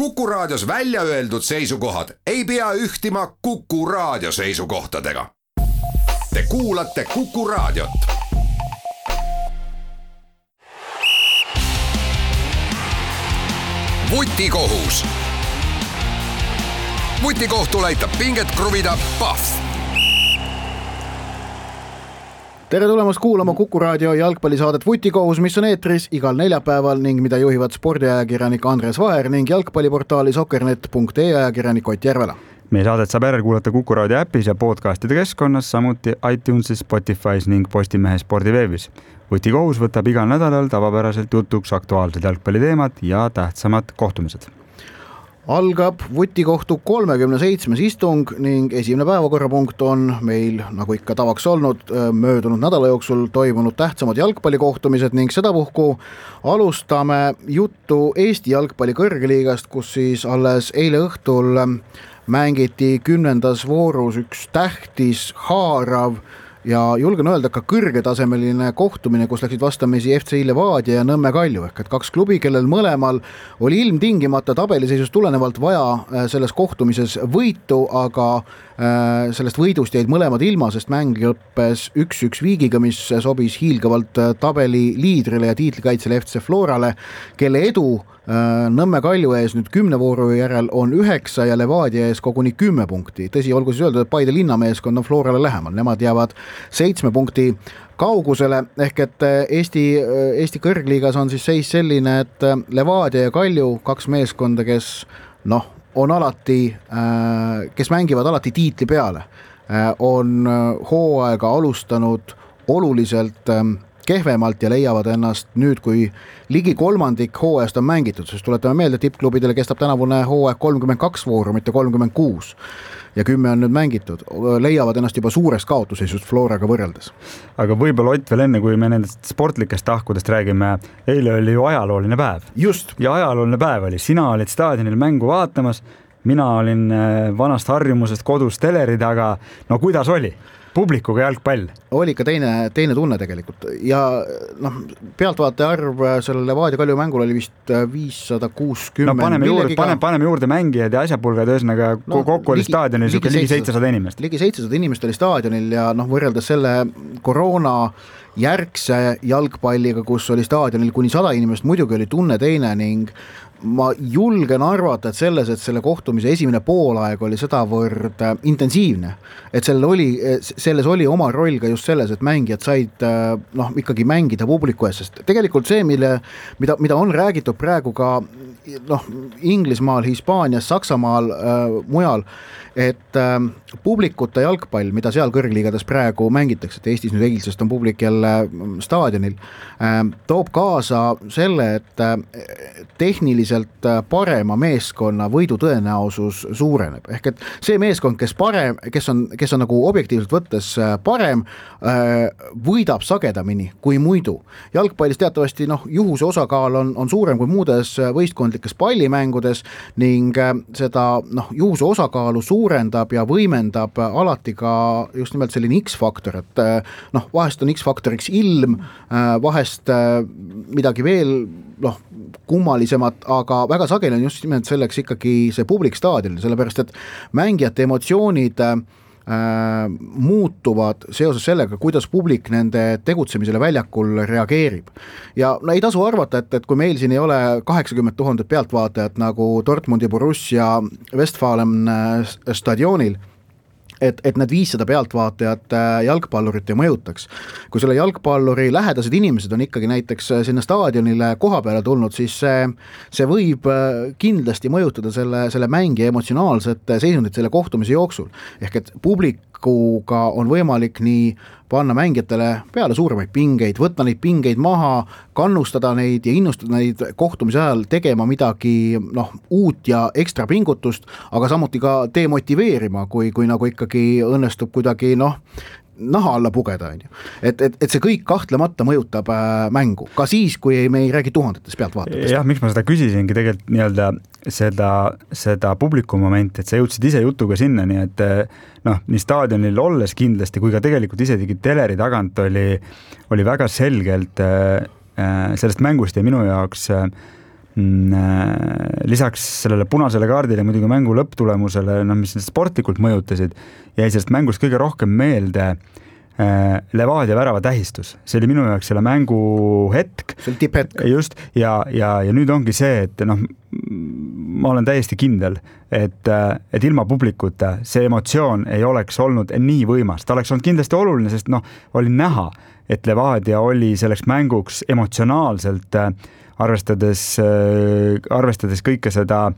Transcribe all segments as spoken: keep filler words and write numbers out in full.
Kuku Raadios välja öeldud seisukohad ei pea ühtima Kuku Raadio seisukohtadega. Te kuulate Kuku Raadiot. Vutikohus. Vutikohtul aitab pinget kruvida Pahv. Tere tulemast kuulama Kuku Raadio jalgpallisaadet Vutikohus, mis on eetris igal neljapäeval ning mida juhivad spordiajakirjanik Andres Vaher ning jalgpalliportaali soccernet punkt ee ajakirjanik Ott Järvela. Meie saadet saab järel kuulata Kuku Raadio äpis ja podcastide keskkonnas, samuti iTunesis, Spotify's ning Postimehe spordiveebis. Vutikohus võtab igal nädalal tavapäraselt jutuks aktuaalsed jalgpalliteemad ja tähtsamad kohtumised. Algab Vutikohtu kolmekümne seitsmes istung ning esimene päevakorrapunkt on meil, nagu ikka tavaks olnud, möödunud nädala jooksul toimunud tähtsamad jalgpallikohtumised ning sedapuhku alustame juttu Eesti jalgpalli kõrgliigast, kus siis alles eile õhtul mängiti kümnendas voorus üks tähtis, haarav ja julgen öelda ka kõrgetasemeline kohtumine, kus läksid vastamisi F C Levadia ja Nõmme Kalju ehk et kaks klubi, kellel mõlemal oli ilmtingimata tabeliseisust tulenevalt vaja selles kohtumises võitu, aga sellest võidust jäid mõlemad ilma, sest mäng lõppes üks-üks viigiga, mis sobis hiilgavalt tabeli liidrile ja tiitlikaitsele F C Florale, kelle edu Nõmme Kalju ees nüüd kümne vooru järel on üheksa ja Levadia ees koguni kümme punkti. Tõsi, olgu siis öeldud, et Paide linnameeskond on Florale lähemal. Nemad jäävad seitsme punkti kaugusele, ehk et Eesti, Eesti kõrgliigas on siis seis selline, et Levadia ja Kalju, kaks meeskonda, kes noh, on alati, kes mängivad alati tiitli peale, on hooaega alustanud oluliselt kehvemalt ja leiavad ennast nüüd, kui ligi kolmandik hooajast on mängitud, sest tuletame meelde, tippklubidele kestab tänavune hooaeg kolmkümmend kaks vooru, mitte kolmkümmend kuus ja kümme on nüüd mängitud, leiavad ennast juba suurest kaotuseisust Floraga võrreldes. Aga võib-olla Ott veel enne, kui me nendest sportlikest tahkudest räägime, eile oli ju ajalooline päev. Just. Ja ajalooline päev oli, sina olid staadionil mängu vaatamas, mina olin vanast harjumusest kodus teleri taga, no kuidas oli? Publikuga jalgpall. Oli ka teine, teine tunne tegelikult ja noh, pealtvaataja arv selle Levadia Kalju mängul oli vist viissada kuuskümmend. No paneme juurde, paneme, paneme juurde mängijad ja asjapulgad, ühesõnaga no, kokku oli staadionil ligi, ligi seitsesada inimest. Ligi seitsesada inimest oli staadionil ja noh, võrreldes selle koroona järgse jalgpalliga, kus oli staadionil kuni sada inimest, muidugi oli tunne teine ning ma julgen arvata, et selles, et selle kohtumise esimene poolaeg oli sedavõrd intensiivne, et sellel oli, selles oli oma roll ka just selles, et mängijad said noh, ikkagi mängida publiku ees, sest tegelikult see, mille, mida, mida on räägitud praegu ka noh, Inglismaal, Hispaanias, Saksamaal, äh, mujal, et äh, publikuta jalgpall, mida seal kõrgliigades praegu mängitakse, et Eestis nüüd eilsest on publik jälle staadionil, äh, toob kaasa selle, et äh, tehniliselt parema meeskonna võidu tõenäosus suureneb. Ehk et see meeskond, kes, parem, kes, on, kes on nagu objektiivselt võttes parem, äh, võidab sagedamini kui muidu. Jalgpallis teatavasti noh, juhuse osakaal on, on suurem kui muudes võistkondlikes pallimängudes ning seda noh, juhuse osakaalu suurendab ja võimendab alati ka just nimelt selline X-faktor, et noh, vahest on X-faktoriks ilm, vahest midagi veel noh, kummalisemat, aga väga sageli on just nimelt selleks ikkagi see publik staadionil, sellepärast et mängijate emotsioonid äh, muutuvad seoses sellega, kuidas publik nende tegutsemisele väljakul reageerib. Ja no, ei tasu arvata, et, et kui meil siin ei ole kaheksakümmend tuhandet pealtvaatajat nagu Dortmundi Borussia Westfalen stadionil, et, et need viissada pealtvaatajat jalgpallurit ei mõjutaks. Kui selle jalgpalluri lähedased inimesed on ikkagi näiteks sinna staadionile koha peale tulnud, siis see, see võib kindlasti mõjutada selle, selle mängi emotsionaalset seisundit selle kohtumise jooksul. Ehk et publikuga on võimalik nii panna mängijatele peale suuremaid pingeid, võtta neid pingeid maha, kannustada neid ja innustada neid kohtumise ajal tegema midagi noh, uut ja ekstra pingutust, aga samuti ka demotiveerima, kui, kui nagu ikkagi õnnestub kuidagi noh, naha alla pugeda. Et, et, et see kõik kahtlemata mõjutab äh, mängu, ka siis, kui me ei räägi tuhandetest pealtvaatajatest. Jah, miks ma seda küsisingi tegelikult nii-öelda seda, seda publiku momenti, et sa jõudsid ise jutuga sinna, nii et noh, nii staadionil olles kindlasti, kui ka tegelikult isegi teleri tagant oli, oli väga selgelt äh, sellest mängust ja minu jaoks äh, lisaks sellele punasele kaardile muidugi mängu lõpptulemusele, no, mis sportlikult mõjutasid, jäi sellest mängust kõige rohkem meelde Levadia värava tähistus. See oli minu jaoks selle mängu hetk. See oli tipphetk. Just, ja, ja, ja nüüd ongi see, et noh, ma olen täiesti kindel, et, et ilma publikuta see emotsioon ei oleks olnud nii võimas. Ta oleks olnud kindlasti oluline, sest noh, oli näha, et Levadia oli selleks mänguks emotsionaalselt arvestades, arvestades kõike seda,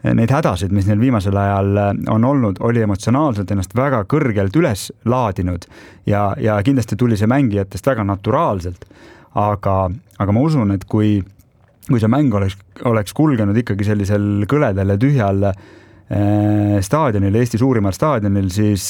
neid hädasid, mis neil viimasel ajal on olnud, oli emotsionaalselt ennast väga kõrgelt üles laadinud ja, ja kindlasti tuli see mängijatest väga naturaalselt. Aga, aga ma usun, et kui, kui see mäng oleks, oleks kulgenud ikkagi sellisel kõledel ja tühjal staadionil, Eesti suurimal staadionil, siis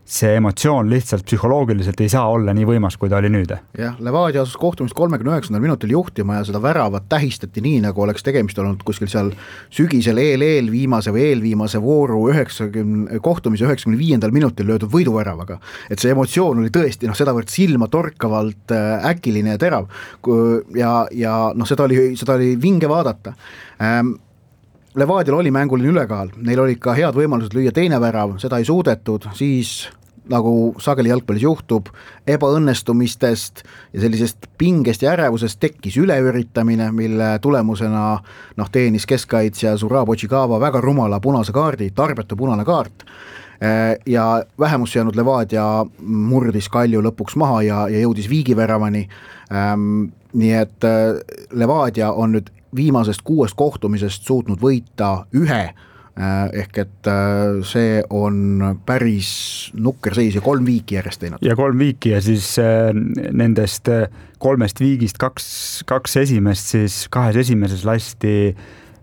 see emotsioon lihtsalt psühholoogiliselt ei saa olla nii võimas, kui ta oli nüüd. Jah, Levadia asus kohtumist kolmekümne üheksandal minutil juhtima ja seda väravat tähistati nii, nagu oleks tegemist olnud kuskil seal sügisel eel-eel viimase või eelviimase vooru üheksakümne, kohtumise üheksakümne viiendal minutil löödud võiduväravaga. Et see emotsioon oli tõesti, noh, sedavõrd silma torkavalt äkiline ja terav ja, ja noh, seda oli, seda oli vinge vaadata. Ähm, Levadial oli mänguline ülekaal, neil oli ka head võimalused lüüa teine värav, seda ei suudetud, siis nagu sageli jalgpallis juhtub, ebaõnnestumistest ja sellisest pingest ja ärevusest tekkis üleüritamine, mille tulemusena noh, teenis keskkaitsja Zurab Ochigava väga rumala punase kaardi, tarbetu punane kaart ja vähemus jäänud Levadia murdis Kalju lõpuks maha ja, ja jõudis viigiväravani. Nii et Levadia on nüüd viimasest kuuest kohtumisest suutnud võita ühe, ehk et see on päris nukker seis ja kolm viiki järjest teinud. Ja kolm viiki ja siis nendest kolmest viigist kaks, kaks esimest, siis kahes esimeses lasti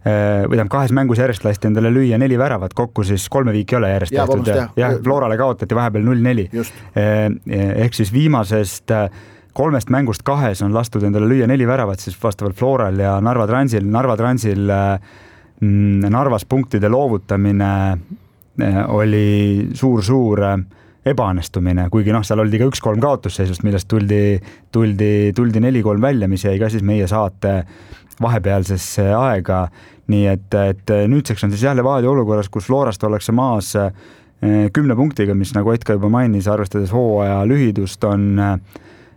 või tähendab kahes mängus järjest lasti endale lüüa neli väravat, kokku siis kolme viiki ei ole järjest ja, tehtud. Ja, ja Florale kaotati vahepeal null neli. Ehk siis viimasest kolmest mängust kahes on lastud endale lüüa neli väravat siis vastavalt Floral ja Narva Transil. Narva Transil Narvas punktide loovutamine oli suur-suur ebaõnnestumine, kuigi noh, seal oldi ka üks kolm kaotusseisust, millest tuldi, tuldi, tuldi neli kolm välja, mis jäi ka siis meie saate vahepealsesse aega. Nii et, et nüüdseks on siis jah Levadia olukorras, kus Florast ollakse maas kümne punktiga, mis nagu Etka juba mainis, arvestades hooaja lühidust on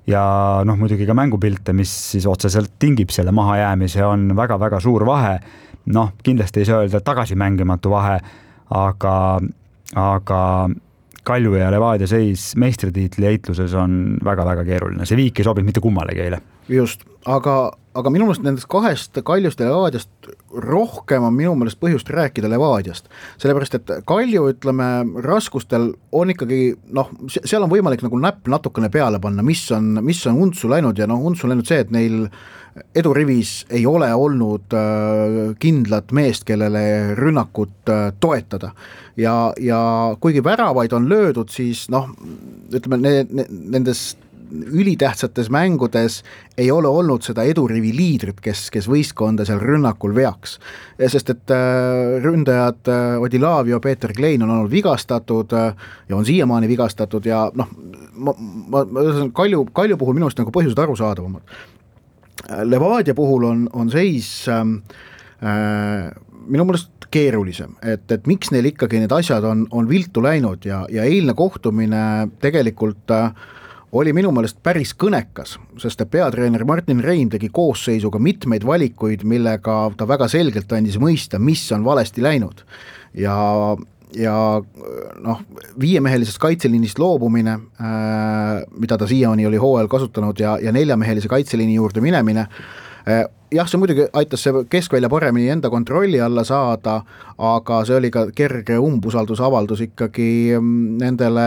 ja noh, muidugi ka mängupilte, mis siis otseselt tingib selle mahajäämise, on väga-väga suur vahe. Noh, kindlasti ei saa öelda tagasi mängimatu vahe, aga, aga Kalju ja Levadia seis meistritiitli heitluses on väga-väga keeruline. See viik ei sobinud mitte kummalegi eile. Just, aga, aga minu meelest nendest kahest Kaljust ja Levadiast rohkem on minu meelest põhjust rääkida Levadiast. Sellepärast, et Kalju, ütleme, raskustel on ikkagi, noh, seal on võimalik nagu näpp natukene peale panna, mis on, mis on untsu läinud ja noh, untsu läinud see, et neil edurivis ei ole olnud äh, kindlat meest, kellele rünnakut äh, toetada. Ja, ja kuigi väravaid on löödud, siis noh, ütleme, ne, ne, nendes ülitähtsates mängudes ei ole olnud seda edurivi liidrit, kes, kes võistkonda seal rünnakul veaks. Sest et äh, ründajad äh, Odilavio, Peeter Klein on olnud vigastatud äh, ja on siiamaani vigastatud ja noh, ma, ma, ma Kalju, Kalju puhul minu arust nagu põhjused arusaadavamad. Levadia puhul on, on seis äh, minu meelest keerulisem, et, et miks neil ikkagi need asjad on, on viltu läinud ja, ja eilne kohtumine tegelikult äh, oli minu meelest päris kõnekas, sest peatreener Martin Reim tegi koosseisuga mitmeid valikuid, millega ta väga selgelt andis mõista, mis on valesti läinud. Ja, ja noh, viiemehelisest kaitseliinist loobumine, äh, mida ta siiani oli hooajal kasutanud ja, ja neljamehelise kaitseliini juurde minemine, äh, jah, see muidugi aitas see keskvälja paremini enda kontrolli alla saada, aga see oli ka kerge umbusaldusavaldus ikkagi nendele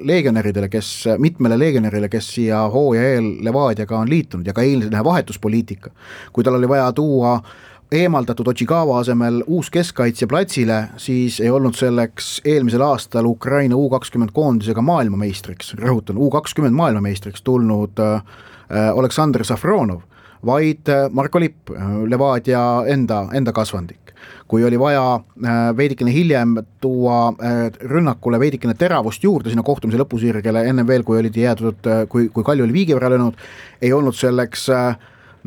legionäridele, kes, mitmele legionärile, kes siia hooaja eel Levadiaga on liitunud ja ka eilne vahetuspoliitika. Kui tal oli vaja tuua eemaldatud Ochigava asemel uus keskkaitsja platsile, siis ei olnud selleks eelmisel aastal Ukraina U kakskümmend koondisega maailmameistriks, rõhutan, U kakskümmend maailmameistriks tulnud äh, Oleksandr Safronov, vaid Marko Lipp, Levadia enda, enda kasvandik. Kui oli vaja veidikene hiljem tuua rünnakule veidikene teravust juurde sinna kohtumise lõpusirgele, enne veel, kui oli jäädud, kui, kui Kalju oli viigi võrra löönud, ei olnud selleks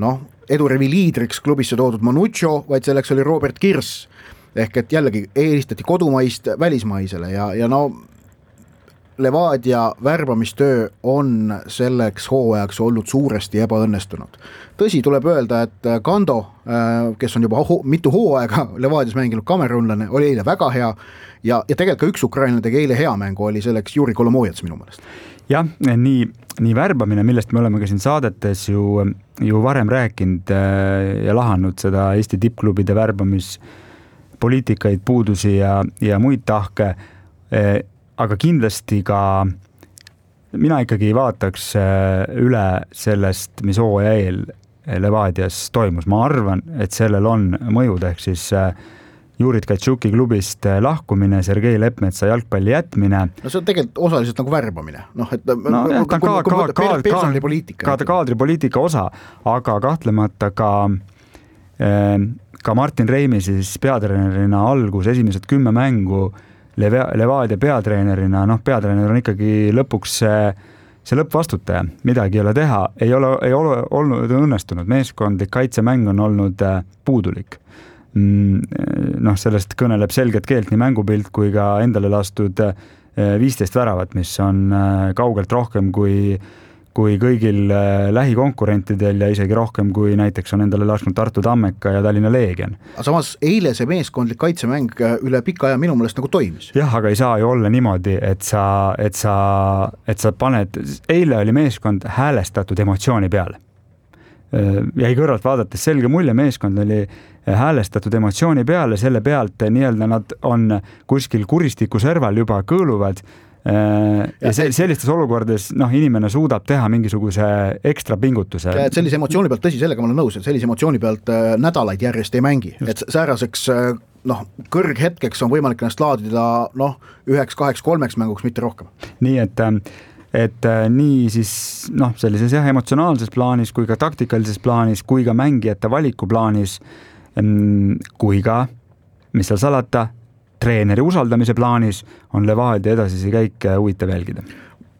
noh, edurivi liidriks klubisse toodud Manuccio, vaid selleks oli Robert Kirss. Ehk et jällegi eelistati kodumaist välismaisele ja, ja no Levadia värbamistöö on selleks hooajaks olnud suuresti ebaõnnestunud. Tõsi, tuleb öelda, et Kando, kes on juba ho- mitu hooaega Levadias mänginud kamerunlane, oli eile väga hea ja, ja tegelikult ka üks ukrainlane tegi eile hea mängu, oli selleks Juri Kolomojets minu meelest. Jah, nii, nii värbamine, millest me oleme ka siin saadetes ju, ju varem rääkinud ja lahanud seda Eesti tippklubide värbamispoliitikaid, puudusi ja, ja muid tahke, aga kindlasti ka mina ikkagi vaataks üle sellest, mis hooaja eel Levadias toimus. Ma arvan, et sellel on mõjud, ehk siis Jurit Katšuki klubist lahkumine, Sergei Lepmetsa jalgpalli jätmine. No see on tegelikult osaliselt nagu värbamine. Noh, et no, no, ta on ka, ka, ka, personalipoliitika. Ka kaadripoliitika osa, aga kahtlemata ka, ka Martin Reimi siis peatreenerina algus esimesed kümme mängu Levadia peatreenerina, noh, peatreener on ikkagi lõpuks see, see lõppvastutaja, midagi ei ole teha, ei ole, ei ole olnud õnnestunud, meeskondlik kaitsemäng on olnud puudulik. Noh, sellest kõneleb selget keelt nii mängupilt kui ka endale lastud viisteist väravat, mis on kaugelt rohkem kui kui kõigil lähikonkurentidel ja isegi rohkem kui näiteks on endale lasknud Tartu Tammeka ja Tallinna Leegion. Aga samas eile see meeskondlik kaitsemäng üle pika aja minu meelest nagu toimis. Jah, aga ei saa ju olla niimoodi, et sa, et sa, et sa paned, eile oli meeskond häälestatud emotsiooni peale. Jäi kõrvalt vaadates selge mulje, meeskond oli häälestatud emotsiooni peale, selle pealt nii-öelda nad on kuskil kuristiku serval juba kõõluvad ja see, sellistes olukordades noh, inimene suudab teha mingisuguse ekstra pingutuse. Ja, et sellise emotsiooni pealt, tõsi, sellega ma olen nõus, et sellise emotsiooni pealt nädalaid järjest ei mängi. Et sääraseks noh, kõrghetkeks on võimalik ennast laadida noh, üheks, kaheks, kolmeks mänguks, mitte rohkem. Nii, et, et nii siis noh, sellises jah, emotsionaalses plaanis kui ka taktikalises plaanis, kui ka mängijate valiku plaanis, kui ka, mis seal salata, treeneri usaldamise plaanis on Levadia edasisi käike huvitav jälgida.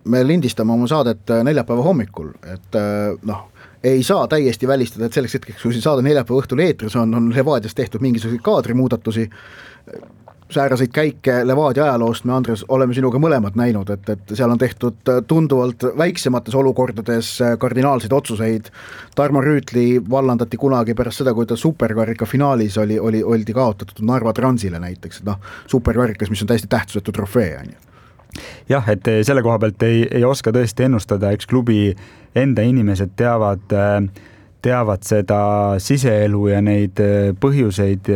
Me lindistame oma saadet neljapäeva hommikul, et noh, ei saa täiesti välistada, et selleks hetkeks, kui saade neljapäeva õhtul eetris on, on Levadias tehtud mingisuguseid kaadrimuudatusi. Sääraseid käike Levadia ajaloost me, Andres, oleme sinuga mõlemad näinud, et, et seal on tehtud tunduvalt väiksemates olukordades kardinaalseid otsuseid. Tarmo Rüütli vallandati kunagi pärast seda, kui ta superkarika finaalis oli, oli, oldi kaotatud Narva Transile näiteks, et noh, superkarikas, mis on täiesti tähtsusetu trofee. Jah, et selle koha pealt ei, ei oska tõesti ennustada, eks klubi enda inimesed teavad teavad seda siseelu ja neid põhjuseid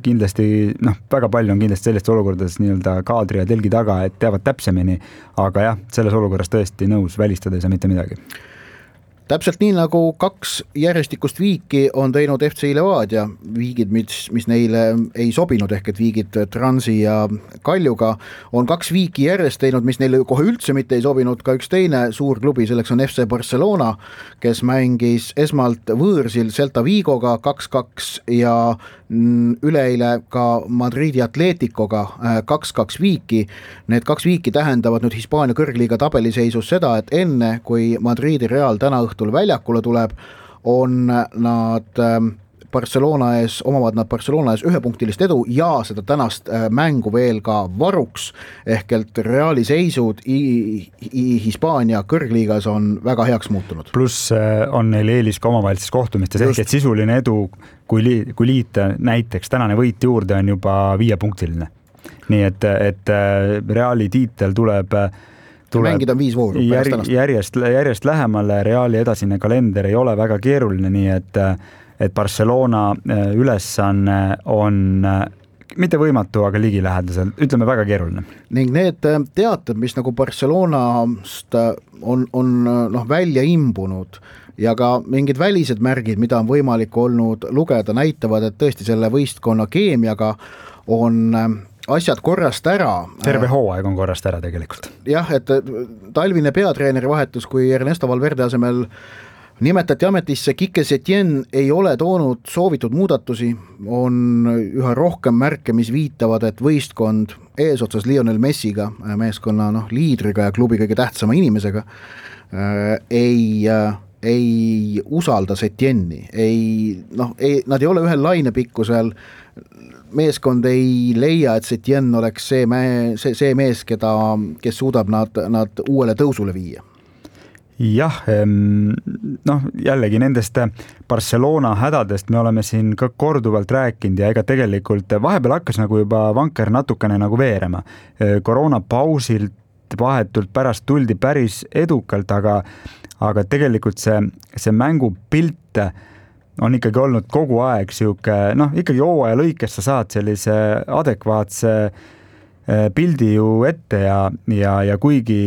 kindlasti, noh, väga palju on kindlasti sellest olukordades nii-öelda kaadri ja telgi taga, et teavad täpsemini, aga jah, selles olukorras tõesti nõus, välistada ei saa mitte midagi. Täpselt nii nagu kaks järjestikust viiki on teinud F C Levadia, viigid, mis, mis neile ei sobinud, ehk et viigid Transi ja Kaljuga, on kaks viiki järjest teinud, mis neile kohe üldse mitte ei sobinud, ka üks teine suur klubi, selleks on F C Barcelona, kes mängis esmalt võõrsil Celta Vigoga kaks kaks ja üleeile ka Madridi Atleticoga kaks kaks viiki. Need kaks viiki tähendavad nüüd Hispaania kõrgliiga tabeliseisus seda, et enne kui Madridi Real täna õhtul väljakule tuleb, on nad Barcelona ees, omavad nad Barcelona ees ühepunktilist edu ja seda tänast mängu veel ka varuks, ehk et Reali seisud Hispaania kõrgliigas on väga heaks muutunud. Pluss on neil eelis ka omavahelistes kohtumistes, ehk et sisuline edu, kui, li, kui liita näiteks tänane võit juurde, on juba viiepunktiline. Nii et, et Reali tiitel tuleb tuleb mängida viis vooru jär, järjest, järjest lähemale, Reali edasine kalender ei ole väga keeruline, nii et et Barcelona ülesanne on mitte võimatu, aga ligilähedasel, ütleme väga keeruline. Ning need teated, mis nagu Barcelonast on, on noh, välja imbunud ja ka mingid välised märgid, mida on võimalik olnud lugeda, näitavad, et tõesti selle võistkonna keemiaga on asjad korrast ära. Terve hooaeg on korrast ära tegelikult. Jah, et talvine peatreeneri vahetus, kui Ernesto Valverde asemel nimetati ametisse Kike Setien, ei ole toonud soovitud muudatusi, on üha rohkem märke, mis viitavad, et võistkond eesotsas Lionel Messiga, meeskonna noh, liidriga ja klubi kõige tähtsama inimesega, ei ei usalda Setjenni, ei, noh, ei, nad ei ole ühel lainepikkusel, meeskond ei leia, et Setjen oleks see, me, see, see mees, keda, kes suudab nad, nad uuele tõusule viia. Jah, noh jällegi nendest Barcelona hädadest me oleme siin ka korduvalt rääkinud ja ega tegelikult vahepeal hakkas nagu juba vanker natukene nagu veerema. Koroonapausilt vahetult pärast tuldi päris edukalt, aga, aga tegelikult see, see mängupilt on ikkagi olnud kogu aeg siuke, noh ikkagi hooaja lõikes sa saad sellise adekvaatse pildi ju ette ja, ja, ja kuigi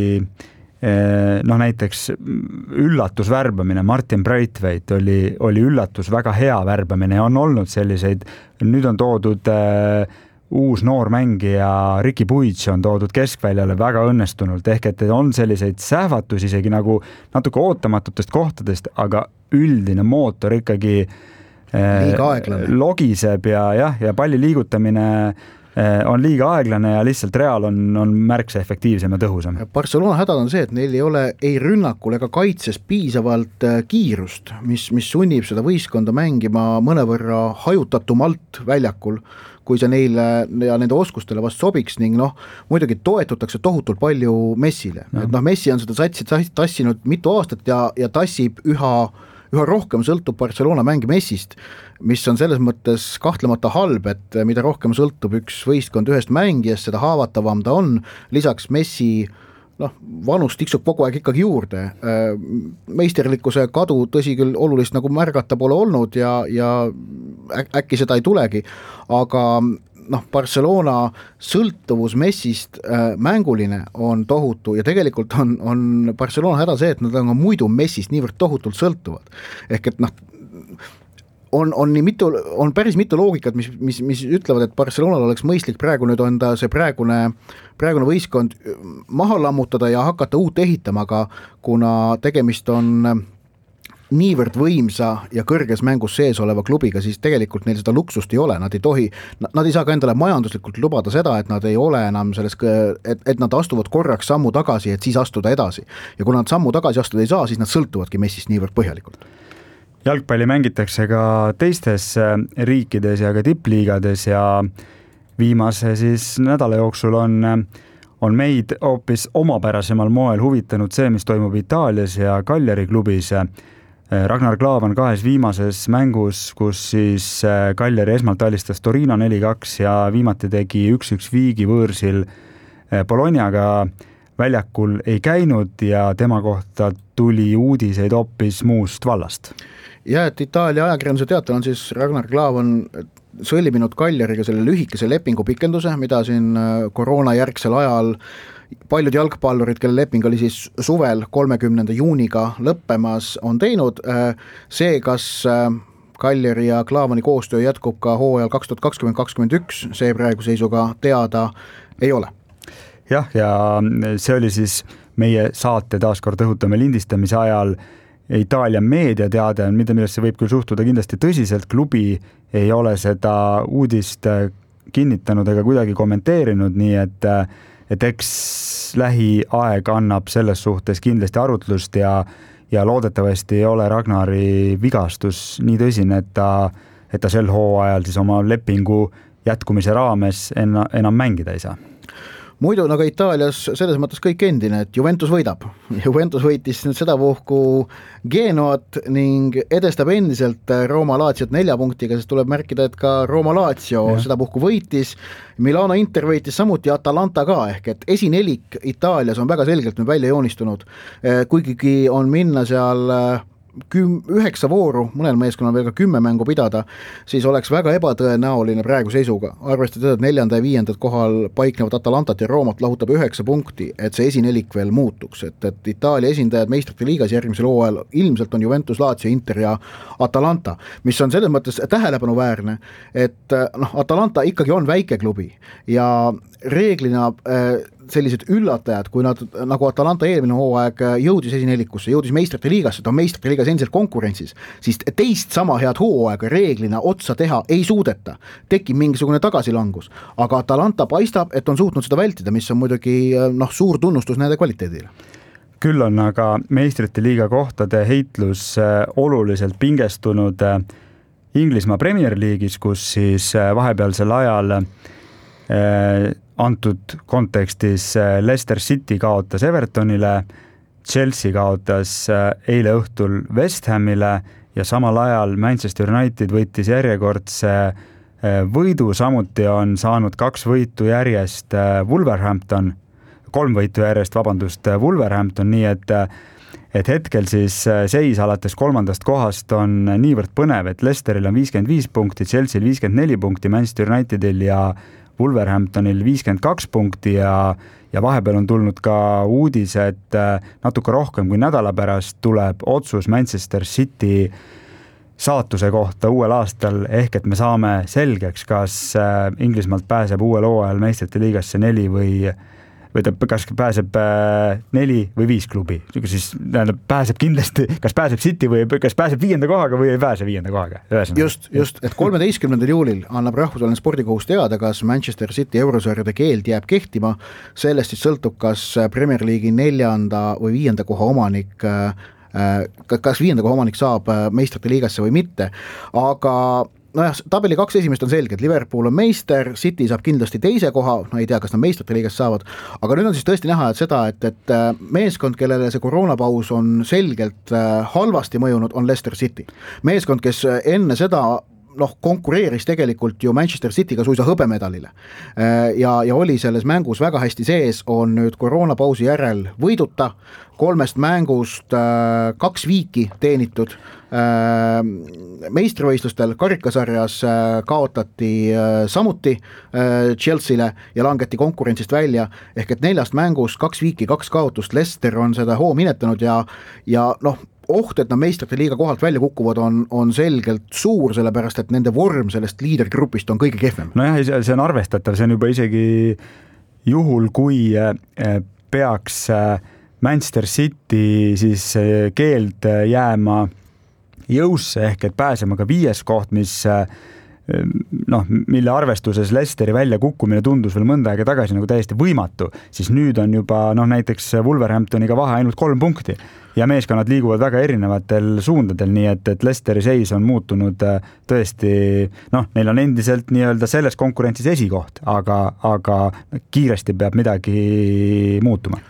noh näiteks üllatusvärbamine, Martin Braithwaite oli, oli üllatus, väga hea värbamine ja on olnud selliseid, nüüd on toodud äh, uus noor mängija Ricky Puig on toodud keskväljale väga õnnestunult, ehk et on selliseid sähvatus isegi nagu natuke ootamatutest kohtadest, aga üldine mootor ikkagi äh, logiseb ja jah, ja palli liigutamine on liiga aeglane ja lihtsalt Real on, on märksa efektiivsem ja tõhusam. Barcelona hädad on see, et neil ei ole ei rünnakul ega kaitses piisavalt kiirust, mis, mis sunnib seda võistkonda mängima mõnevõrra hajutatumalt väljakul, kui see neile ja nende oskustele vast sobiks ning noh, muidugi toetutakse tohutult palju Messile. No. Et noh, Messi on seda satsi tassinud mitu aastat ja, ja tassib üha üha rohkem sõltub Barcelona mängi Messist, mis on selles mõttes kahtlemata halb, et mida rohkem sõltub üks võistkond ühest mängijast, seda haavatavam ta on, lisaks Messi noh, vanus tiksub kogu aeg ikkagi juurde. Meisterlikkuse kadu tõsi küll olulist nagu märgata pole olnud ja, ja äkki seda ei tulegi, aga noh, Barcelona sõltuvus Messist äh, mänguline on tohutu ja tegelikult on, on Barcelona häda see, et nad on muidu Messist niivõrd tohutult sõltuvad. Ehk et noh, on, on, nii mitu, on päris mitu loogikat, mis, mis, mis ütlevad, et Barcelonal oleks mõistlik praegu nüüd on ta see praegune, praegune võistkond maha lammutada ja hakata uut ehitama, aga kuna tegemist on niivõrd võimsa ja kõrges mängus sees oleva klubiga, siis tegelikult neil seda luksust ei ole, nad ei tohi, nad ei saa ka endale majanduslikult lubada seda, et nad ei ole enam selles, et, et nad astuvad korraks sammu tagasi, et siis astuda edasi. Ja kui nad sammu tagasi astuda ei saa, siis nad sõltuvadki Messist niivõrd põhjalikult. Jalgpalli mängitakse ka teistes riikides ja ka tippliigades ja viimase siis nädala jooksul on, on meid hoopis omapärasemal moel huvitanud see, mis toimub Itaalias ja Cagliari klubis. Ragnar Klavan kahes viimases mängus, kus siis Cagliari esmalt alistas Torino neli kaks ja viimati tegi üks üks viigi võõrsil Bolognaga väljakul ei käinud ja tema kohta tuli uudiseid hoopis muust vallast. Ja, et Itaalia ajakirjanduse teatel on siis Ragnar Klavan sõlminud Cagliariga selle lühikese lepingu pikenduse, mida siin koroona järgsel ajal paljud jalgpallurid, kelle leping oli siis suvel kolmekümnenda juuniga lõppemas, on teinud. See, kas Cagliari ja Klavani koostöö jätkub ka hooajal kaks tuhat kakskümmend kakskümmend üks, see praegu seisuga teada ei ole. Jah, ja see oli siis meie saate taaskord õhutame lindistamise ajal Itaalia meediateade, mida millest see võib küll suhtuda kindlasti tõsiselt, klubi ei ole seda uudist kinnitanud ega kuidagi kommenteerinud, nii et et eks lähiaeg annab selles suhtes kindlasti arutlust ja, ja loodetavasti ei ole Ragnari vigastus nii tõsine, et ta, et ta sel hooajal siis oma lepingu jätkumise raames enna, enam mängida ei saa. Muidu nagu Itaalias selles mõttes kõik endine, et Juventus võidab. Juventus võitis nüüd seda puhku Genoat ning edestab endiselt Roma Laziot nelja punktiga, sest tuleb märkida, et ka Roma Lazio ja. Seda puhku võitis. Milano Inter võitis samuti Atalanta ka, ehk et esinelik Itaalias on väga selgelt nüüd välja joonistunud. Kuigigi on minna seal küm, üheksa vooru, mõnel meeskonnal veel ka kümme mängu pidada, siis oleks väga ebatõenäoline praegu seisuga. Arvestada, et neljanda ja viiendad kohal paiknevad Atalantat ja Roomat lahutab üheksa punkti, et see esinelik veel muutuks. Et, et Itaalia esindajad meistrite liigas järgmisel hooajal ilmselt on Juventus, Lazio, Inter ja Atalanta, mis on selles mõttes tähelepanuväärne, et noh, Atalanta ikkagi on väike klubi ja reeglina sellised üllatajad, kui nad nagu Atalanta eelmine hooaeg jõudis esinelikusse, jõudis meistrite liigasse, ta on meistrite liigas endiselt konkurentsis, siis teist sama head hooaega reeglina otsa teha ei suudeta, tekib mingisugune tagasilangus, aga Atalanta paistab, et on suutnud seda vältida, mis on muidugi noh, suur tunnustus nende kvaliteedile. küll on aga meistrite liiga kohtade heitlus oluliselt pingestunud Inglismaa Premier League'is, kus siis vahepealsel ajal antud kontekstis Leicester City kaotas Evertonile, Chelsea kaotas eile õhtul West Hamile ja samal ajal Manchester United võttis järjekordse võidu, samuti on saanud kaks võitu järjest Wolverhampton, kolm võitu järjest, vabandust, Wolverhampton, nii et, et hetkel siis seis alates kolmandast kohast on niivõrd põnev, et Leicesteril on viiskümmend viis punkti, Chelsea'l viiskümmend neli punkti, Manchester Unitedil ja Wolverhamptonil viiskümmend kaks punkti ja, ja vahepeal on tulnud ka uudis, et natuke rohkem kui nädala pärast tuleb otsus Manchester City saatuse kohta uuel aastal, ehk et me saame selgeks, kas Inglismaalt pääseb uuel hooajal meistrite liigasse neli või või ta kas pääseb neli või viis klubi, siis pääseb kindlasti, kas pääseb City või kas pääseb viienda kohaga või ei pääse viienda kohaga. Just, just, et kolmeteistkümnendal juulil annab rahvusvaheline spordikohus teada, kas Manchester City eurosarjade keeld jääb kehtima, sellest siis sõltub, kas Premier League'i neljanda või viienda koha omanik kas viienda koha omanik saab meistrite liigasse või mitte, aga nojah, tabeli kaks esimest on selged, Liverpool on meister, City saab kindlasti teise koha, no ei tea, kas nad meistrite liigas saavad, aga nüüd on siis tõesti näha, et seda, et, et meeskond, kellele see koroonapaus on selgelt halvasti mõjunud, on Leicester City. Meeskond, kes enne seda noh, konkureeris tegelikult ju Manchester Cityga suisa hõbemedalile ja, ja oli selles mängus väga hästi sees, on nüüd koroonapausi järel võiduta, kolmest mängust äh, kaks viiki teenitud, äh, meistrivõistlustel karikasarjas äh, kaotati äh, samuti äh, Chelsea'le ja langeti konkurentsist välja, ehk et neljast mängust kaks viiki, kaks kaotust, Leicester on seda hoo minetanud ja, ja noh, oht, et nad meistrite liiga kohalt välja kukuvad, on, on selgelt suur, sellepärast et nende vorm sellest liidergrupist on kõige kehvem. Nojah, see on arvestatav, see on juba isegi juhul, kui peaks Manchester City siis keeld jääma jõusse, ehk et pääsema ka viies koht, mis noh, mille arvestuses Leicesteri välja kukkumine tundus veel mõnda aega tagasi nagu täiesti võimatu, siis nüüd on juba noh, näiteks Wolverhamptoniga vahe ainult kolm punkti ja meeskonnad liiguvad väga erinevatel suundadel, nii et, et Leicesteri seis on muutunud tõesti, noh, neil on endiselt nii-öelda selles konkurentsis esikoht, aga, aga kiiresti peab midagi muutuma.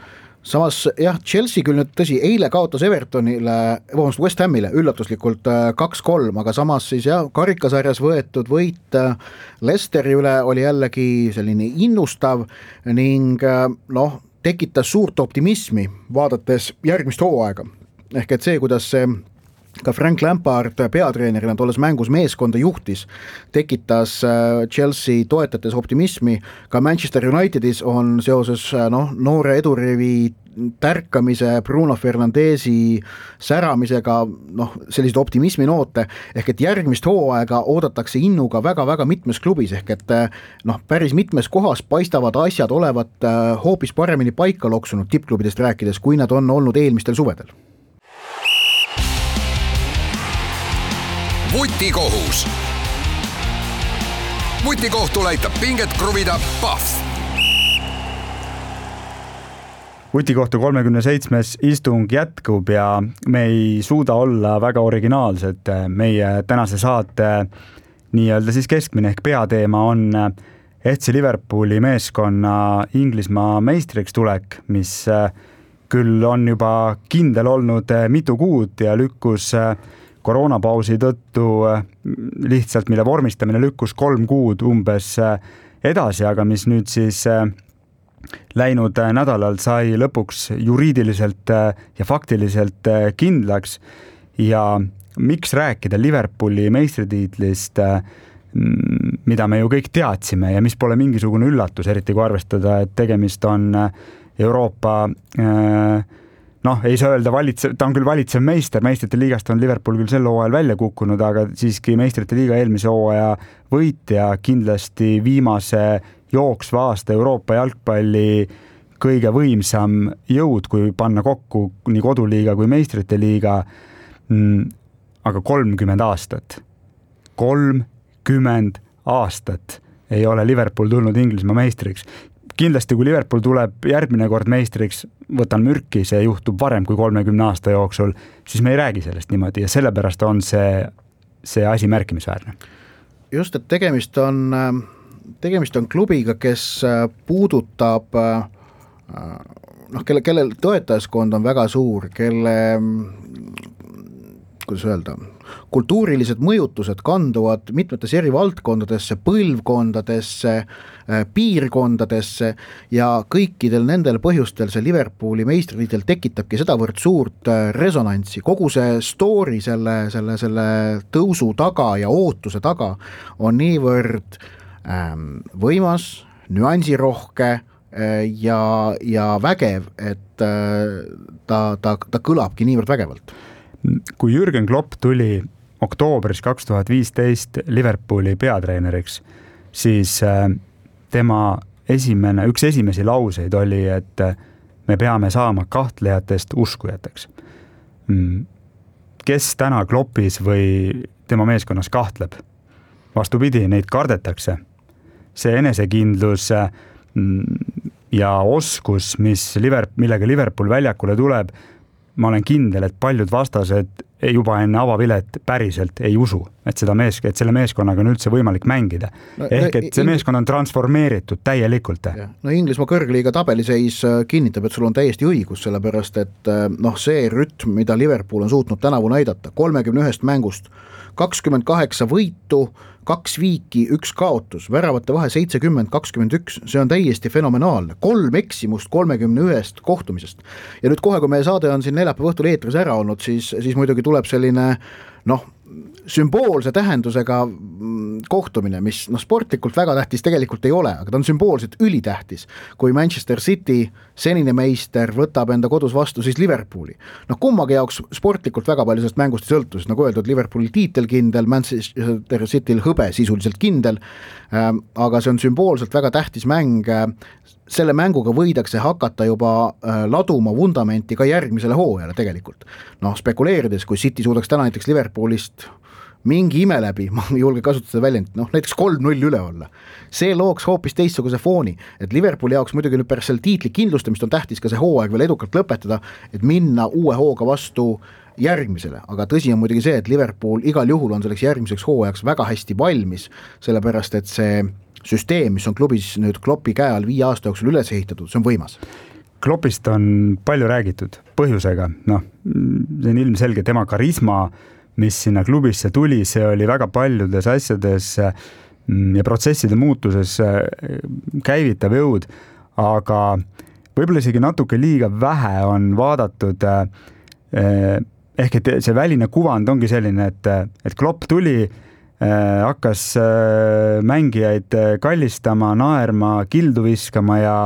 Samas jah, Chelsea küll nüüd tõsi, eile kaotas Evertonile, vabandust, West Hamile üllatuslikult kaks kolm, aga samas siis jah, karikasarjas võetud võit Leicesteri üle oli jällegi selline innustav ning noh, tekitas suurt optimismi, vaadates järgmist hooaega. Ehk et see, kuidas see ka Frank Lampard peatreenerina tolles mängus meeskonda juhtis, tekitas Chelsea toetates optimismi, ka Manchester Unitedis on seoses noh, noore edurivi tärkamise, Bruno Fernandesi säramisega noh, sellised optimismi noote, ehk et järgmist hooaega oodatakse innuga väga-väga mitmes klubis, ehk et noh, päris mitmes kohas paistavad asjad olevat hoopis paremini paika loksunud tippklubidest rääkides, kui nad on olnud eelmistel suvedel. Vutikohus. Vutikohtul aitab pinget kruvida Pahv. Vutikohtu kolmekümne seitsmes istung jätkub ja me ei suuda olla väga originaalsed. Meie tänase saate nii-öelda siis keskmine ehk peateema on F C Liverpooli meeskonna Inglismaa meistriks tulek, mis küll on juba kindel olnud mitu kuud ja lükkus koroonapausi tõttu lihtsalt, mille vormistamine lükkus kolm kuud umbes edasi, aga mis nüüd siis läinud nädalal sai lõpuks juriidiliselt ja faktiliselt kindlaks ja miks rääkida Liverpooli meistritiitlist, mida me ju kõik teadsime ja mis pole mingisugune üllatus, eriti kui arvestada, et tegemist on Euroopa noh, ei saa öelda valitsev, ta on küll valitsev meister, meistrite liigast on Liverpool küll sel hooajal välja kukkunud, aga siiski meistrite liiga eelmise hooaja võitja, kindlasti viimase jooksva aasta Euroopa jalgpalli kõige võimsam jõud, kui panna kokku nii koduliiga kui meistrite liiga, aga kolmkümmend aastat. kolmkümmend aastat ei ole Liverpool tulnud Inglismaa meistriks. kindlasti kui Liverpool tuleb järgmine kord meistriks, võtan mürki, see juhtub varem kui kolmekümne aasta jooksul, siis me ei räägi sellest niimoodi ja sellepärast on see, see asi märkimisväärne. Just, et tegemist on, tegemist on klubiga, kes puudutab noh, kelle, kellel toetajaskond on väga suur, kelle kuidas öelda, kultuurilised mõjutused kanduvad mitmetes eri valdkondadesse, põlvkondadesse, piirkondadesse ja kõikidel nendel põhjustel see Liverpooli meistritiitel tekitabki sedavõrd suurt resonantsi. Kogu see story selle, selle, selle tõusu taga ja ootuse taga on niivõrd ähm, võimas, nüansirohke ja, ja vägev, et äh, ta, ta, ta kõlabki niivõrd vägevalt. Kui Jürgen Klopp tuli oktoobris kaks tuhat viisteist Liverpooli peatreeneriks, siis tema esimene, üks esimesi lauseid oli, et me peame saama kahtlejatest uskujateks. Kes täna Kloppis või tema meeskonnas kahtleb? Vastupidi, neid kardetakse. See enesekindlus ja oskus, mis Liverpool, millega Liverpool väljakule tuleb, ma olen kindel, et paljud vastased juba enne avavilet päriselt ei usu, et, seda mees, et selle meeskonnaga on üldse võimalik mängida. No, ehk et see meeskond on transformeeritud täielikult. No Inglismaa kõrgliiga tabeliseis kinnitab, et sul on täiesti õigus, sellepärast et noh, see rütm, mida Liverpool on suutnud tänavu näidata, kolmekümne ühest mängust, kakskümmend kaheksa võitu, kaks viiki, üks kaotus, väravate vahe seitsekümmend kakskümmend üks, see on täiesti fenomenaalne. Kolm eksimust kolmekümne ühest kohtumisest. Ja nüüd kohe, kui meie saade on siin neljapäeva õhtul eetris ära olnud, siis, siis muidugi tuleb selline noh, sümboolse tähendusega kohtumine, mis noh, sportlikult väga tähtis tegelikult ei ole, aga ta on sümboolselt ülitähtis, kui Manchester City, senine meister, võtab enda kodus vastu siis Liverpooli. Noh, kummagi jaoks sportlikult väga palju sellest mängust ei sõltu, nagu öeldud, Liverpooli tiitel kindel, Manchester Cityl hõbe sisuliselt kindel, aga see on sümboolselt väga tähtis mäng. Selle mänguga võidakse hakata juba laduma vundamenti ka järgmisele hooajale tegelikult. Noh, spekuleerides, kui City suudaks täna näiteks Liverpoolist mingi ime läbi, ma ei julge kasutada väljend, noh näiteks kolm null üle olla. See looks hoopis teistsuguse fooni, et Liverpooli jaoks muidugi nüüd pärast selle tiitli kindlustamist on tähtis ka see hooaeg veel edukalt lõpetada, et minna uue hooga vastu järgmisele, aga tõsi on muidugi see, et Liverpool igal juhul on selleks järgmiseks hooajaks väga hästi valmis, sellepärast et see süsteem, mis on klubis nüüd Kloppi käe all viie aasta jooksul üles ehitatud, see on võimas. Kloppist on palju räägitud põhjusega, noh, see on ilmselge tema karisma, mis sinna klubisse tuli, see oli väga paljudes asjades ja protsesside muutuses käivitav jõud, aga võib-olla isegi natuke liiga vähe on vaadatud, ehk et see väline kuvand ongi selline, et, et Klopp tuli, hakkas mängijaid kallistama, naerma, kildu viskama ja,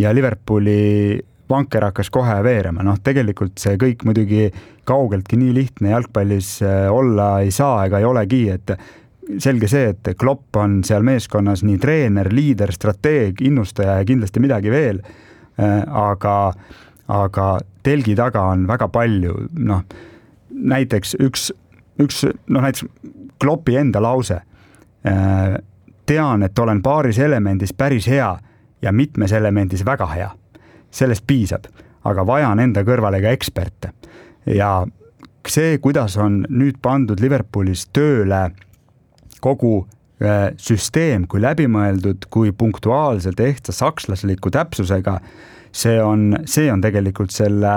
ja Liverpooli vanker hakkas kohe veerema. Noh, tegelikult see kõik muidugi kaugeltki nii lihtne jalgpallis olla ei saa ega ei olegi, et selge see, et Klopp on seal meeskonnas nii treener, liider, strateeg, innustaja ja kindlasti midagi veel, aga, aga telgi taga on väga palju, noh, näiteks üks, üks noh, näiteks Kloppi enda lause, tean, et olen paaris elemendis päris hea ja mitmes elemendis väga hea. Sellest piisab, aga vajan enda kõrvale ka eksperte. Ja see, kuidas on nüüd pandud Liverpoolis tööle kogu süsteem, kui läbimõeldud, kui punktuaalselt ehtsa sakslasliku täpsusega, see on, see on tegelikult selle,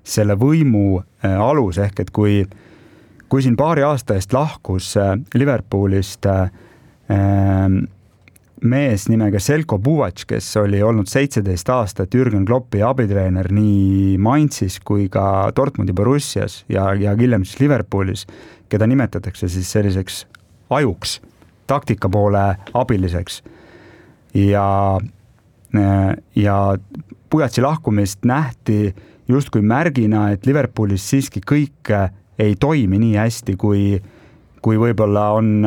selle võimu alus, ehk et kui, kui siin paari aasta eest lahkus Liverpoolist mees nimega Selko Buvac, kes oli olnud seitseteist aastat Jürgen Kloppi abitreener nii Mainzis kui ka Dortmundi Borussias ja, ja hiljem siis Liverpoolis, keda nimetatakse siis selliseks ajuks, taktika poole abiliseks. Ja, ja Buvac'i lahkumist nähti justkui märgina, et Liverpoolis siiski kõik ei toimi nii hästi, kui kui võib-olla on,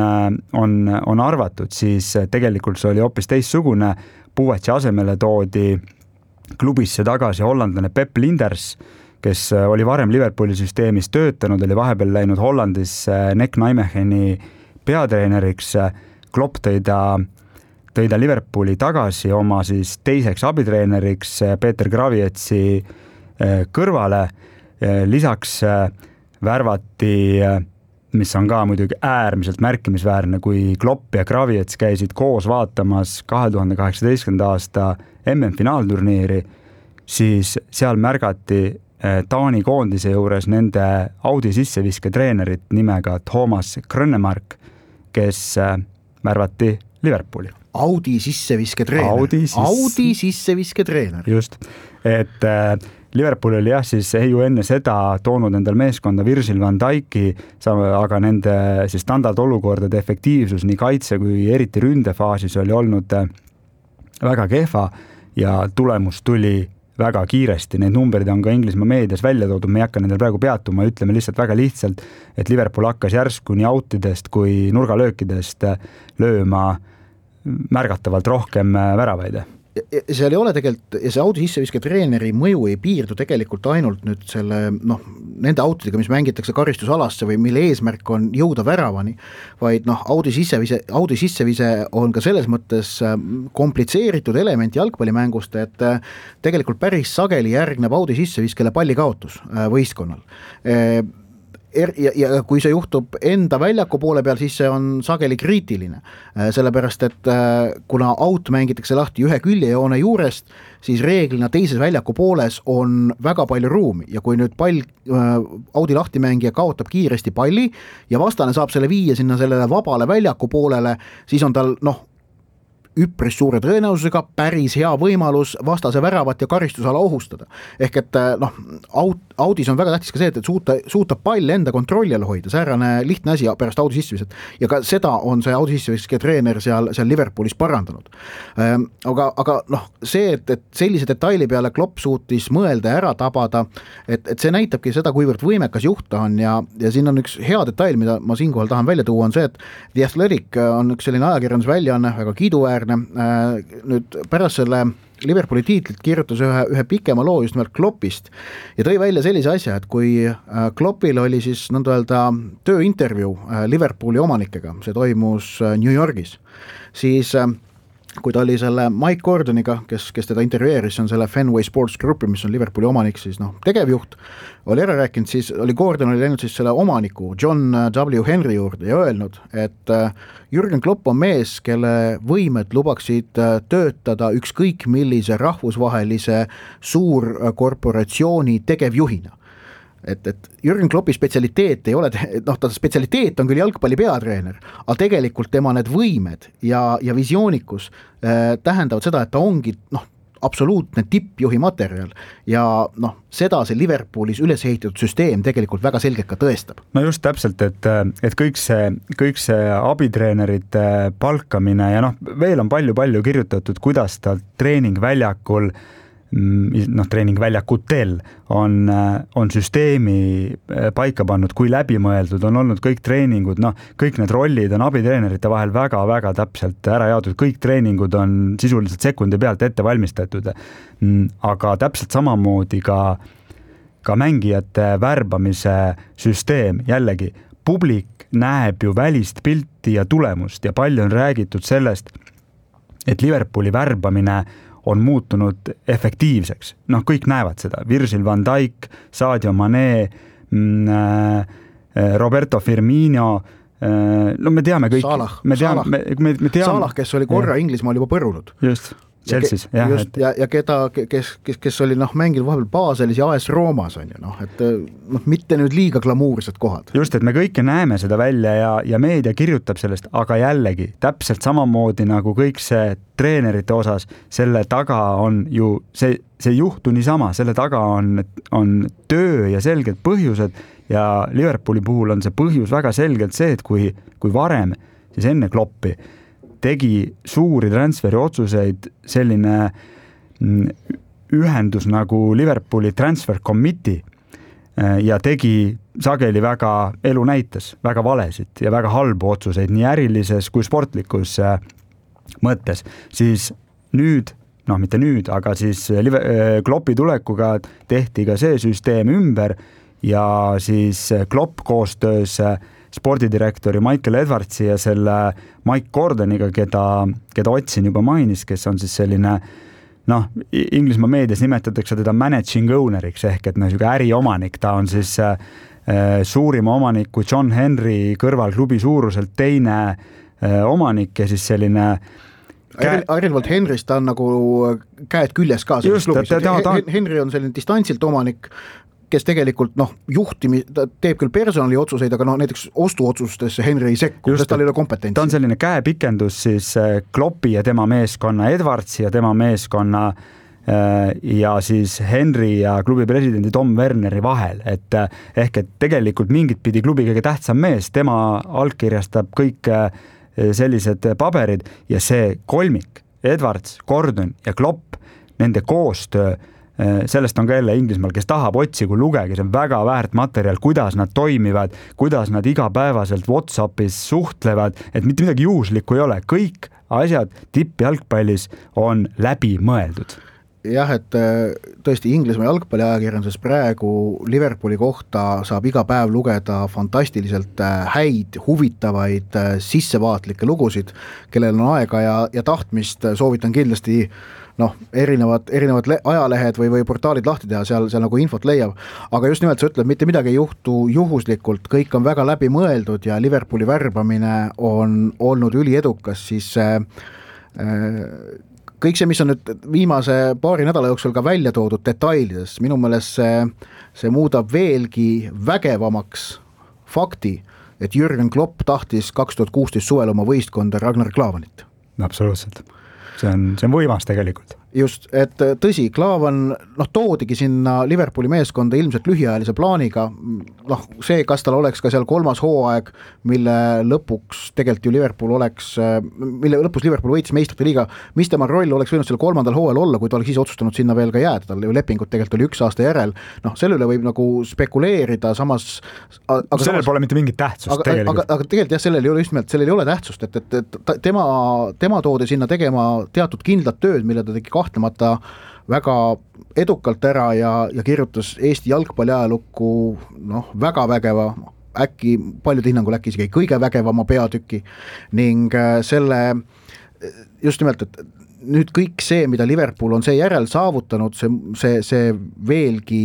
on, on arvatud, siis tegelikult see oli hoopis teistsugune. Buvac'i asemele toodi klubisse tagasi hollandlane Pep Linders, kes oli varem Liverpooli süsteemis töötanud, oli vahepeal läinud Hollandis Nek Nijmegeni peatreeneriks. Klopp tõi ta, tõi ta Liverpooli tagasi oma siis teiseks abitreeneriks Peter Gravietsi kõrvale. Lisaks värvati, mis on ka muidugi äärmiselt märkimisväärne, kui Klopp ja Graviets käisid koos vaatamas kahe tuhande kaheksateistkümnenda aasta M M-finaalturniiri, siis seal märgati Taani koondise juures nende Audi sisseviske treenerit nimega Thomas Grönemark, kes märvati Liverpooli. Audi sisseviske treener. Audi, sisse... Audi sisseviske treener. Just, et Liverpool oli jah, siis ei ju enne seda toonud endal meeskonda Virgil van Dijk'i, aga nende siis standardolukordade efektiivsus nii kaitse kui eriti ründefaasis oli olnud väga kehva ja tulemus tuli väga kiiresti. Need numberid on ka Inglismaa meedias välja toodud, me ei hakka nendel praegu peatuma, ütleme lihtsalt väga lihtsalt, et Liverpool hakkas järsku nii outidest kui nurgalöökidest lööma märgatavalt rohkem väravaid. Seal ei ole tegelikult, ja see Audi sisseviske treeneri mõju ei piirdu tegelikult ainult nüüd selle, noh, nende autodega, mis mängitakse karistusalasse või mille eesmärk on jõuda väravani, vaid noh, Audi sissevise, Audi sissevise on ka selles mõttes komplitseeritud element jalgpallimängust, et tegelikult päris sageli järgneb Audi sisseviskele pallikaotus võistkonnal. Ja, ja kui see juhtub enda väljaku poole peal, siis see on sageli kriitiline, sellepärast et kuna out mängitakse lahti ühe küljejoone juurest, siis reeglina teises väljaku pooles on väga palju ruumi ja kui nüüd pall, Audi lahtimängija kaotab kiiresti palli ja vastane saab selle viia sinna sellele vabale väljaku poolele, siis on tal noh, üpris suure tõenäosusega päris hea võimalus vastase väravat ja karistusala ohustada. Ehk et noh, Audis on väga tähtis ka see, et suuta, suuta pall enda kontrolli all hoida, säärane lihtne asi pärast Audi sisseviset ja ka seda on see Audi sisseviske treener seal, seal Liverpoolis parandanud. Aga, aga noh, see, et, et sellise detaili peale Klopp suutis mõelda ja ära tabada, et, et see näitabki seda, kuivõrd võimekas juht ta on ja, ja siin on üks hea detail, mida ma siinkohal tahan välja tuua, on see, et The Athletic on üks selline ajakirjandus väljaanne, väga kiiduväärne. Nüüd pärast selle Liverpooli tiitlit kirjutas ühe, ühe pikema loo just nimelt Kloppist ja tõi välja sellise asja, et kui Kloppil oli siis nõnda öelda tööintervjuu Liverpooli omanikega, see toimus New Yorgis, siis kui ta oli selle Mike Gordoniga, kes, kes teda intervjueeris, on selle Fenway Sports Groupi, mis on Liverpooli omanik, siis noh, tegevjuht, oli ära rääkinud, siis oli Gordon oli läinud siis selle omaniku John W. Henry juurde ja öelnud, et Jürgen Klopp on mees, kelle võimed lubaksid töötada ükskõik millise rahvusvahelise suurkorporatsiooni tegevjuhina. Et, et Jürgen Kloppi spetsialiteet ei ole, noh, ta spetsialiteet on küll jalgpalli peatreener, aga tegelikult tema need võimed ja, ja visioonikus äh, tähendavad seda, et ta ongi noh, absoluutne tippjuhi materjal ja noh, seda see Liverpoolis üles ehitatud süsteem tegelikult väga selgelt ka tõestab. No just täpselt, et, et kõik see, kõik see abitreenerite palkamine ja noh, veel on palju-palju kirjutatud, kuidas ta treeningväljakul noh, treeningväljakutel on, on süsteemi paika pannud, kui läbimõeldud on olnud kõik treeningud, noh, kõik need rollid on abitreenerite vahel väga-väga täpselt ära jaotud, kõik treeningud on sisuliselt sekundi pealt ette valmistatud, aga täpselt samamoodi ka, ka mängijate värbamise süsteem, jällegi, publik näeb ju välist pilti ja tulemust ja palju on räägitud sellest, et Liverpooli värbamine on muutunud efektiivseks. Noh, kõik näevad seda. Virgil van Dijk, Sadio Mané, Roberto Firmino, no me teame kõik. Salah, me teame, Salah. Me, me, me teame. Salah, kes oli korra Inglismaal juba põrunud. Just. Chelsea's, ja, jah, et... ja, ja keda, kes, kes, kes oli noh, mängil vahepeal Baselis ja A S Roomas on ju, noh, et noh, mitte nüüd liiga glamuursed kohad. Just, et me kõike näeme seda välja ja, ja meedia kirjutab sellest, aga jällegi täpselt samamoodi nagu kõik see treenerite osas, selle taga on ju, see, see juhtu niisama, selle taga on, on töö ja selged põhjused ja Liverpooli puhul on see põhjus väga selgelt see, et kui, kui varem, siis enne Kloppi tegi suuri transferi otsuseid selline ühendus nagu Liverpooli Transfer Committee ja tegi sageli väga elu näites, väga valesid ja väga halbu otsuseid nii ärilises kui sportlikus mõttes, siis nüüd, noh mitte nüüd, aga siis Kloppi tulekuga tehti ka see süsteem ümber ja siis Klopp koostöös spordidirektori Michael Edwardsi ja selle Mike Gordoniga, keda, keda Otsin juba mainis, kes on siis selline noh, Inglismaa meedias nimetatakse teda managing owner'iks ehk et noh, äriomanik, ta on siis äh, suurima omaniku John Henry kõrval klubi suuruselt teine äh, omanik ja siis selline Käe... Erinevalt Henryst ta on nagu käed küljes ka selles klubis. Ta, ta, ta... Henry on selline distantsilt omanik, kes tegelikult noh, juhtimi, ta teeb küll personali otsuseid, aga noh, näiteks ostuotsustesse Henry ei sekku, sest tal ei ole kompetentsi. Ta on selline käepikendus siis Kloppi ja tema meeskonna, Edwardsi ja tema meeskonna ja siis Henry ja klubi presidendi Tom Werneri vahel, et ehk et tegelikult mingit pidi klubi kõige tähtsam mees, tema allkirjastab kõik sellised paberid ja see kolmik, Edwards, Gordon ja Klopp, nende koostöö, sellest on ka jälle Inglismaal, kes tahab otsi, kui lugegi, see on väga väärt materjal, kuidas nad toimivad, kuidas nad igapäevaselt WhatsAppis suhtlevad, et mitte midagi juhuslikku ei ole, kõik asjad tippjalgpallis on läbi mõeldud. Jah, et tõesti Inglismaa jalgpalliajakirjanduses praegu Liverpooli kohta saab iga päev lugeda fantastiliselt häid, huvitavaid, sissevaatlikke lugusid, kellel on aega ja, ja tahtmist, soovitan kindlasti noh, erinevad, erinevad le- ajalehed või, või portaalid lahti teha, seal, seal nagu infot leiab, aga just nimelt sa ütled, mitte midagi ei juhtu juhuslikult, kõik on väga läbi mõeldud ja Liverpooli värbamine on olnud üliedukas, siis äh, kõik see, mis on nüüd viimase paari nädala jooksul ka välja toodud detailides, minu meelest see, see muudab veelgi vägevamaks fakti, et Jürgen Klopp tahtis kaks tuhat kuusteist suvel oma võistkonda Ragnar Klavanit. Absoluutselt. See on, see on võimas tegelikult. Just, et tõsi, Klaavan noh, toodigi sinna Liverpooli meeskonda ilmselt lühiajalise plaaniga, noh, see, kas tal oleks ka seal kolmas hooaeg, mille lõpuks tegelikult ju Liverpool oleks, mille lõpus Liverpool võitis meistrite liiga, mis tema roll oleks võinud seal kolmandal hooajal olla, kui ta oleks ise otsustanud sinna veel ka jääda, tal ju lepingut tegelikult oli üks aasta järel, noh, selle üle võib nagu spekuleerida, samas aga sellel samas, pole mitte mingit tähtsust aga, tegelikult. Aga, aga tegelikult jah, sellel ei ole just nimelt, sellel ei ole tähtsust, et, et, et tema, tema toodi sinna tegema teatud kindlat tööd, mille ta tegi kahtlemata väga edukalt ära ja, ja kirjutas Eesti jalgpalliajalukku noh, väga vägeva, äkki paljude hinnangul äkki isegi kõige vägevama peatüki ning selle just nimelt, et nüüd kõik see, mida Liverpool on see järel saavutanud, see, see, see veelgi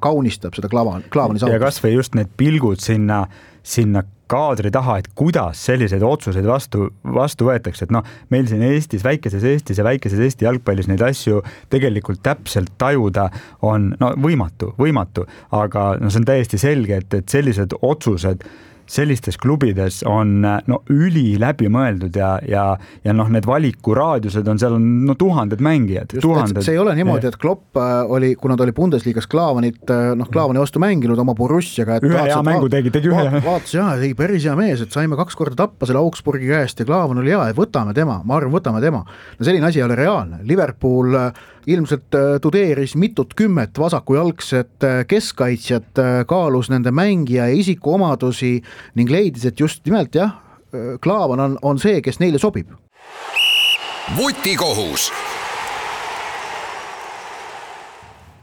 kaunistab seda Klavan, Klavani saavutust. Ja kas või just need pilgud sinna, sinna kaadri taha, et kuidas selliseid otsuseid vastu, vastu võetakse, et noh, meil siin Eestis, väikeses Eestis ja väikeses Eesti jalgpallis neid asju tegelikult täpselt tajuda on no, võimatu, võimatu, aga no, see on täiesti selge, et, et sellised otsused sellistes klubides on no, üli läbi mõeldud ja, ja, ja noh, need valikuraadiused on seal on no, tuhanded mängijad. Just, tuhanded. See ei ole niimoodi, et Klopp oli, kuna ta oli Bundesliigas Klaavanit, noh, Klaavani vastu mänginud oma Borussiaga. Et ühe hea mängu tegi, tegi ühe. Vaat, vaatas, jah, tegi päris hea mees, et saime kaks korda tappa selle Augsburgi käest ja Klaavan oli hea, et võtame tema, ma arvan, võtame tema. No selline asi ei ole reaalne. Liverpool ilmselt tudeeris mitut kümmet vasakujalgset keskkaitsjat, kaalus nende mängija ja isikuomadusi ning leidis, et just nimelt jah, Klaavan on, on see, kes neile sobib. Vutikohus.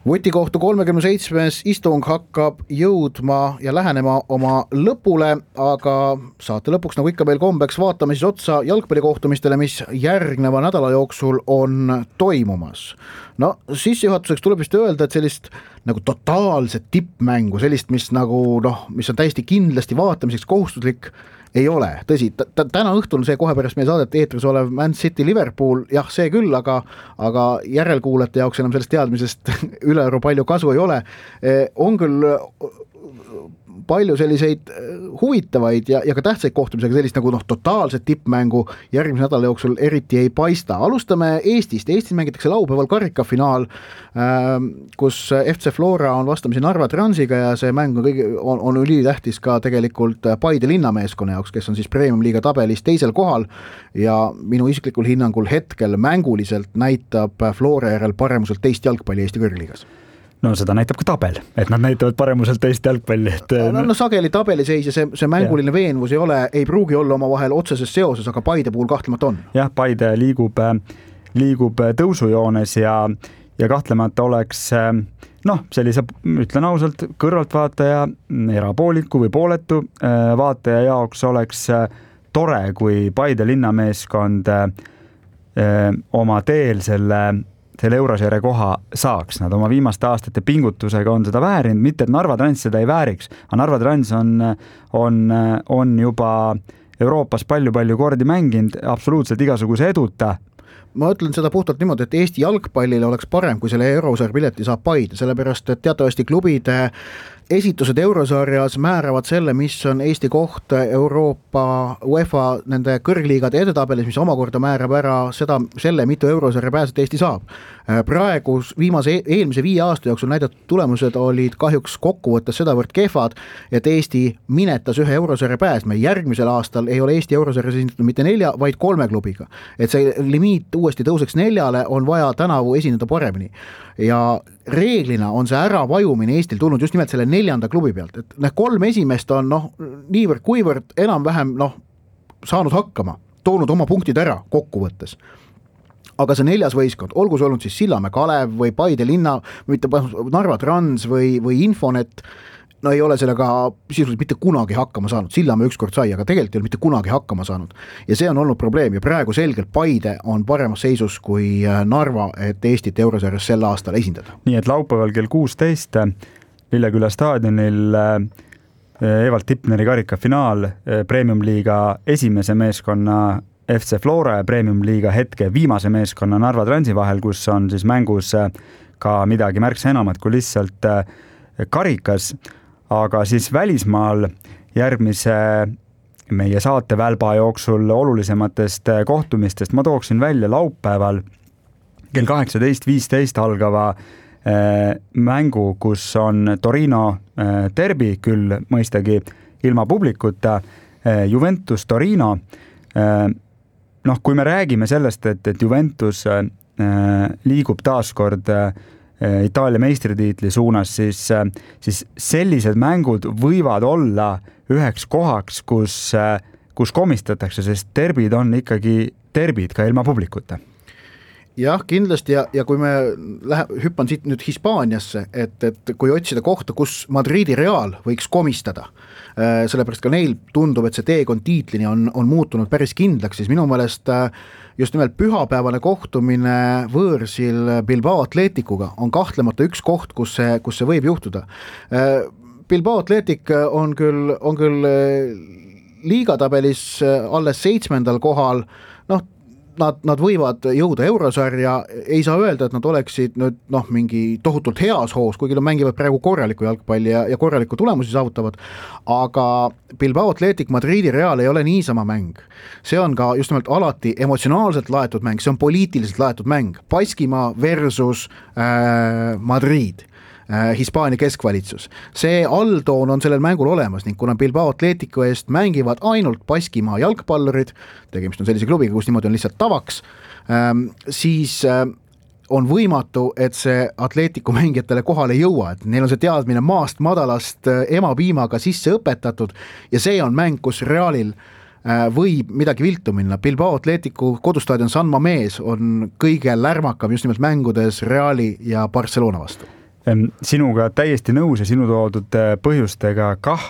Vutikohtu kolmekümne seitsmes istung hakkab jõudma ja lähenema oma lõpule, aga saate lõpuks nagu ikka meil kombeks vaatame siis otsa jalgpallikohtumistele, mis järgneva nädala jooksul on toimumas. No sissejuhatuseks tuleb vist öelda, et sellist nagu totaalset tippmängu, sellist, mis nagu noh, mis on täiesti kindlasti vaatamiseks kohustuslik, ei ole, tõsi, t- täna õhtul see kohe pärast meie saadet eetris olev Man City Liverpool, jah, see küll, aga, aga järelkuulajate jaoks enam sellest teadmisest ülearu palju kasu ei ole. On küll palju selliseid huvitavaid ja, ja ka tähtsaid kohtumisega, sellist nagu noh, totaalset tippmängu järgmise nädala jooksul eriti ei paista. Alustame Eestist. Eestis mängitakse laupäeval karikafinaal, kus F C Flora on vastamisi Narva Transiga ja see mäng on, kõige, on, on ülitähtis ka tegelikult Paide linnameeskonna jaoks, kes on siis Premium-liiga tabelis teisel kohal ja minu isiklikul hinnangul hetkel mänguliselt näitab Flora järel paremuselt teist jalgpalli Eesti kõrgliigas. No seda näitab ka tabel, et nad näitavad paremuselt teist jalgpalli. Et... No, no sageli tabeliseis ja see, see mänguline ja. Veenvus ei ole, ei pruugi olla oma vahel otseses seoses, aga Paide puhul kahtlemata on. Jah, Paide liigub, liigub tõusujoones ja, ja kahtlemata oleks noh, sellise, ütlen ausalt, kõrvaltvaataja, erapooliku või pooletu vaataja jaoks oleks tore, kui Paide linnameeskond oma teel selle selle Euroseeria koha saaks. Nad oma viimaste aastate pingutusega on seda väärinud, mitte et Narva Trans seda ei vääriks, aga Narva Trans on, on, on juba Euroopas palju-palju kordi mänginud, absoluutselt igasuguse eduta. Ma ütlen seda puhtalt niimoodi, et Eesti jalgpallile oleks parem, kui selle Euroseeria pileti saab Paide, sellepärast et teatavasti klubide esitused Eurosarjas määravad selle, mis on Eesti koht Euroopa UEFA nende kõrgliigade edetabelis, mis omakorda määrab ära seda, selle, mitu Eurosarja pääset Eesti saab. Praegu viimase eelmise viie aasta jooksul näidatud tulemused olid kahjuks kokkuvõttes sedavõrd kehvad, et Eesti minetas ühe Eurosarja pääsme. Järgmisel aastal ei ole Eesti Eurosarjas esindatud mitte nelja, vaid kolme klubiga. Et see limiit uuesti tõuseks neljale, on vaja tänavu esineda paremini. Ja reeglina on see ära vajumine Eestil tulnud just nimelt selle neljanda klubi pealt, et need kolm esimest on noh, niivõrd kuivõrd enam-vähem noh, saanud hakkama, toonud oma punktid ära kokkuvõttes. Aga see neljas võistkond, olgu see olnud siis Sillamäe Kalev või Paide linna, mitte Narva Trans või, või Infonet, no ei ole sellega sisuliselt mitte kunagi hakkama saanud. Sillamäe ükskord sai, aga tegelikult ei ole mitte kunagi hakkama saanud. Ja see on olnud probleem ja praegu selgelt Paide on paremas seisus kui Narva, et Eestit Eurosarjas sel aastal esindada. Nii et laupäeval kell kuusteist Lilleküla staadionil Evald Tipneri karikafinaal Premium-liiga esimese meeskonna F C Flora ja Premium-liiga hetke viimase meeskonna Narva Transi vahel, kus on siis mängus ka midagi märksa enamat kui lihtsalt karikas. Aga siis välismaal järgmise meie saate välba jooksul olulisematest kohtumistest ma tooksin välja laupäeval kell kaheksateist viisteist algava äh, mängu, kus on Torino äh, derbi, küll mõistagi ilma publikuta, äh, Juventus Torino. Äh, noh, kui me räägime sellest, et, et Juventus äh, liigub taaskord äh, Itaalia meistritiitli suunas, siis, siis sellised mängud võivad olla üheks kohaks, kus, kus komistatakse, sest derbid on ikkagi derbid ka ilma publikuta. Jah, kindlasti ja, ja kui me lähe, hüppan siit nüüd Hispaaniasse, et, et kui otsida kohta, kus Madridi Real võiks komistada, sellepärast ka neil tundub, et see teekond tiitlini on, on muutunud päris kindlaks, siis minu meelest just nimelt pühapäevane kohtumine võõrsil Bilbao Atletikuga on kahtlemata üks koht, kus see, kus see võib juhtuda. Bilbao Atletik on küll, on küll liigatabelis alles seitsmendal kohal, noh, Nad, nad võivad jõuda Eurosarja, ei saa öelda, et nad oleksid nüüd noh, mingi tohutult heas hoos, kuigi nad mängivad praegu korraliku jalgpalli ja, ja korraliku tulemusi saavutavad, aga Bilbao Athletic Madridi Real ei ole niisama mäng. See on ka just nimelt alati emotsionaalselt laetud mäng, see on poliitiliselt laetud mäng. Baskimaa versus äh, Madrid. Hispaania keskvalitsus. See alltoon on sellel mängul olemas ning kuna Bilbao Atletico eest mängivad ainult Baskimaa jalgpallurid, tegemist on sellise klubiga, kus niimoodi on lihtsalt tavaks, siis on võimatu, et see Atletico mängijatele kohale ei jõua, et neil on see teadmine maast madalast emapiimaga sisse õpetatud ja see on mäng, kus Realil võib midagi viltu minna. Bilbao Atletico kodustaadion San Mamés on kõige lärmakam just nimelt mängudes Reali ja Barcelona vastu. Sinuga täiesti nõus ja sinu toodud põhjustega kah,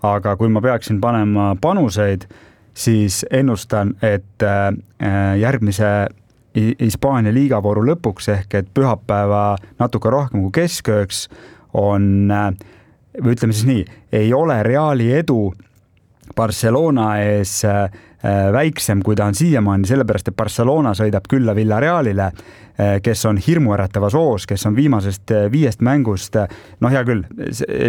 aga kui ma peaksin panema panuseid, siis ennustan, et järgmise Hispaania liigavooru lõpuks ehk et pühapäeva natuke rohkem kui keskööks on, või ütleme siis nii, ei ole Reali edu Barcelona ees väiksem, kui ta on siiamaani, sellepärast, et Barcelona sõidab külla Villarealile, kes on hirmuäratavas hoos, kes on viimasest viiest mängust, noh hea küll,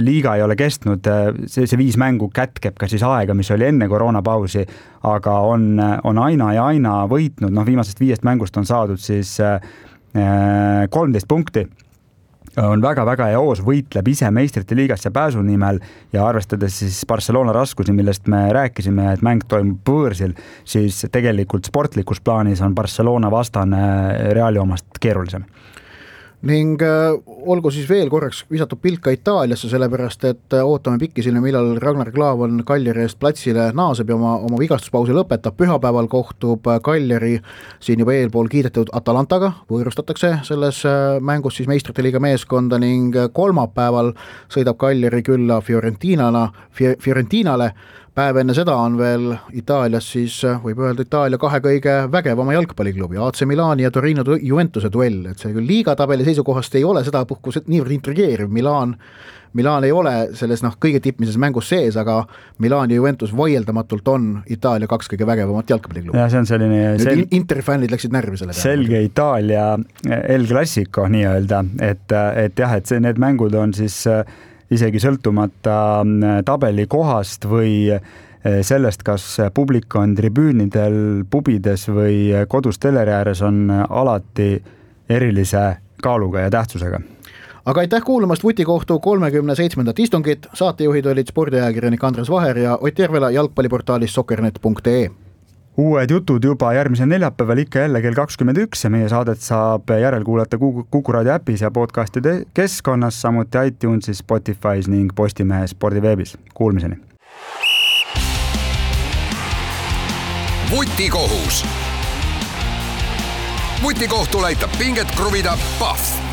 liiga ei ole kestnud, see, see viis mängu kätkeb ka siis aega, mis oli enne koroonapausi, aga on, on aina ja aina võitnud, noh viimasest viiest mängust on saadud siis kolmteist punkti, on väga-väga hea hoos, võitleb ise meistrite liigasse pääsu nimel ja arvestades siis Barcelona raskusi, millest me rääkisime, et mäng toimub võõrsil, siis tegelikult sportlikus plaanis on Barcelona vastane Reali omast keerulisem. ning äh, olgu siis veel korraks visatud pilk ka Itaaliasse, sellepärast et äh, ootame pikisilme, millal Ragnar Klavan Kaljari eest platsile naaseb ja oma, oma vigastuspausi lõpetab. Pühapäeval kohtub Kaljari siin juba eelpool kiidetud Atalantaga, võõrustatakse selles äh, mängus siis meistrite liiga meeskonda ning kolmapäeval sõidab Kaljari külla Fiorentinana, Fiorentinale. Päev enne seda on veel Itaalias siis, võib öelda Itaalia kahe kõige vägevama jalgpalliklubi, A C Milani ja Torino Juventuse duell, et see küll liigatabeli seisukohast ei ole seda puhkus niivõrd intrigeeriv. Milan, Milan ei ole selles noh, kõige tippmises mängus sees, aga Milan ja Juventus vaieldamatult on Itaalia kaks kõige vägevamat jalgpalliklubi. Ja see on selline sel... Interfännid läksid närvi selle peale. Selge Itaalia El Clasico nii-öelda, et, et jah, et see, need mängud on siis isegi sõltumata tabeli kohast või sellest, kas publik on tribüünidel, pubides või kodus teleri ääres, on alati erilise kaaluga ja tähtsusega. Aga aitäh kuulamast Vutikohtu kolmekümne seitsmendat istungit. Saatejuhid olid spordiajakirjanik Andres Vaher ja Ott Järvela jalgpalliportaalis soccernet punkt ee. Uued jutud juba järgmisel neljapäeval ikka jälle kell kakskümmend üks ja meie saadet saab järelkuulata Kuku Raadio äpis ja podcastide keskkonnas, samuti iTunesis, Spotify's ning Postimehe spordiveebis. Kuulmiseni. Vutikohus. Vutikohtul aitab pinget kruvida Pahv.